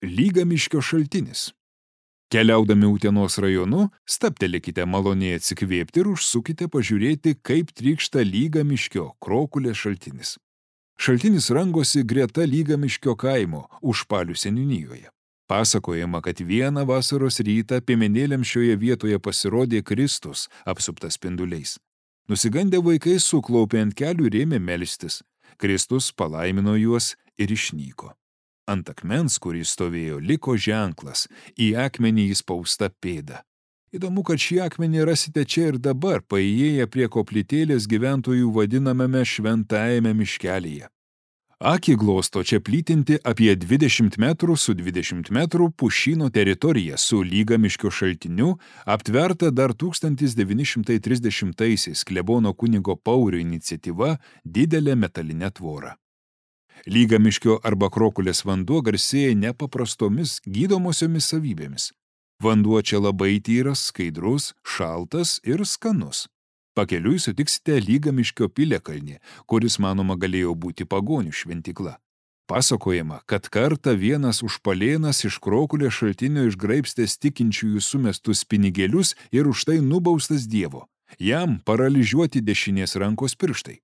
Lygamiškio šaltinis. Keliaudami Utenos rajonu, stabtelėkite maloniai atsikvėpti ir užsukite pažiūrėti, kaip trykšta Lygamiškio Krokulės šaltinis. Šaltinis rangosi greta Lygamiškio kaimo Užpalių seniūnijoje. Pasakojama, kad vieną vasaros rytą piemenėliams šioje vietoje pasirodė Kristus apsuptas spinduliais. Nusigandę vaikai suklaupė ant kelių ir ėmė melstis. Kristus palaimino juos ir išnyko. Ant akmens, kuris stovėjo, liko ženklas, į akmenį įspausta pėda. Įdomu, kad šį akmenį rasite čia ir dabar, paįėję prie koplytėlės gyventojų vadinamame šventajame miškelyje. Akį glosto čia plytinti apie 20 metrų su 20 metrų pušyno teritorija su Lygamiškio šaltiniu, aptverta dar 1930-aisiais klebono kunigo Paurio iniciatyva didelė metalinė tvora. Lygamiškio arba Krokulės vanduo garsėja nepaprastomis gydomosiomis savybėmis. Vanduo čia labai tyras, skaidrus, šaltas ir skanus. Pakeliui sutiksite Lygamiškio piliakalnį, kuris manoma galėjo būti pagonių šventykla. Pasakojama, kad kartą vienas užpalėnas iš Krokulės šaltinio išgraibstęs tikinčiųjų sumestus pinigėlius ir už tai nubaustas Dievo. Jam paralyžiuoti dešinės rankos pirštai.